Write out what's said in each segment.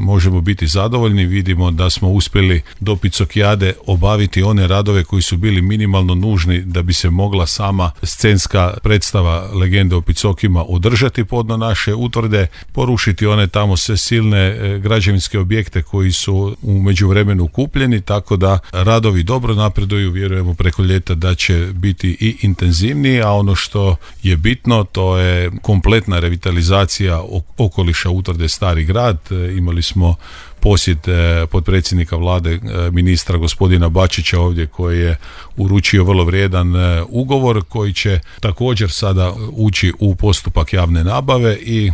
možemo biti zadovoljni. Vidimo da smo uspjeli do Picokijade obaviti one radove koji su bili minimalno nužni da bi se mogla sama scenska predstava Legende o Picokima održati podno naše utvrde, porušiti one tamo sve silne građevinske objekte koji su u međuvremenu kupljeni, tako da radovi dobro napreduju, vjerujemo preko ljeta da će biti i intenzivniji, a ono što je bitno to je kompletna revitalizacija okoliša utvrde Stari grad. Imali smo posjet potpredsjednika vlade, ministra gospodina Bačića ovdje, koji je uručio vrlo vrijedan ugovor koji će također sada ući u postupak javne nabave i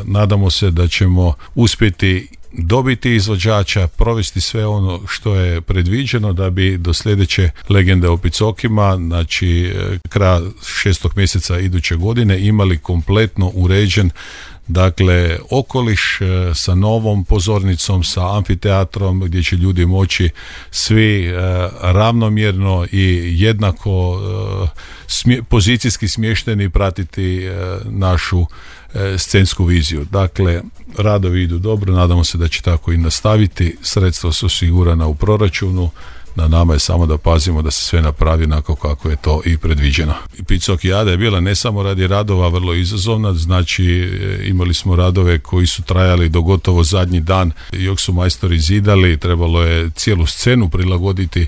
nadamo se da ćemo uspjeti dobiti izvođača, provesti sve ono što je predviđeno da bi do sljedeće Legende o Picokima, znači kraja 6. mjeseca iduće godine, imali kompletno uređen dakle okoliš sa novom pozornicom, sa amfiteatrom gdje će ljudi moći svi ravnomjerno i jednako pozicijski smješteni pratiti našu scensku viziju. Dakle, radovi idu dobro, nadamo se da će tako i nastaviti. Sredstva su osigurana u proračunu. Na nama je samo da pazimo da se sve napravi onako kako je to i predviđeno. Picokijada je bila ne samo radi radova vrlo izazovna, znači imali smo radove koji su trajali do gotovo zadnji dan, dok su majstori zidali, trebalo je cijelu scenu prilagoditi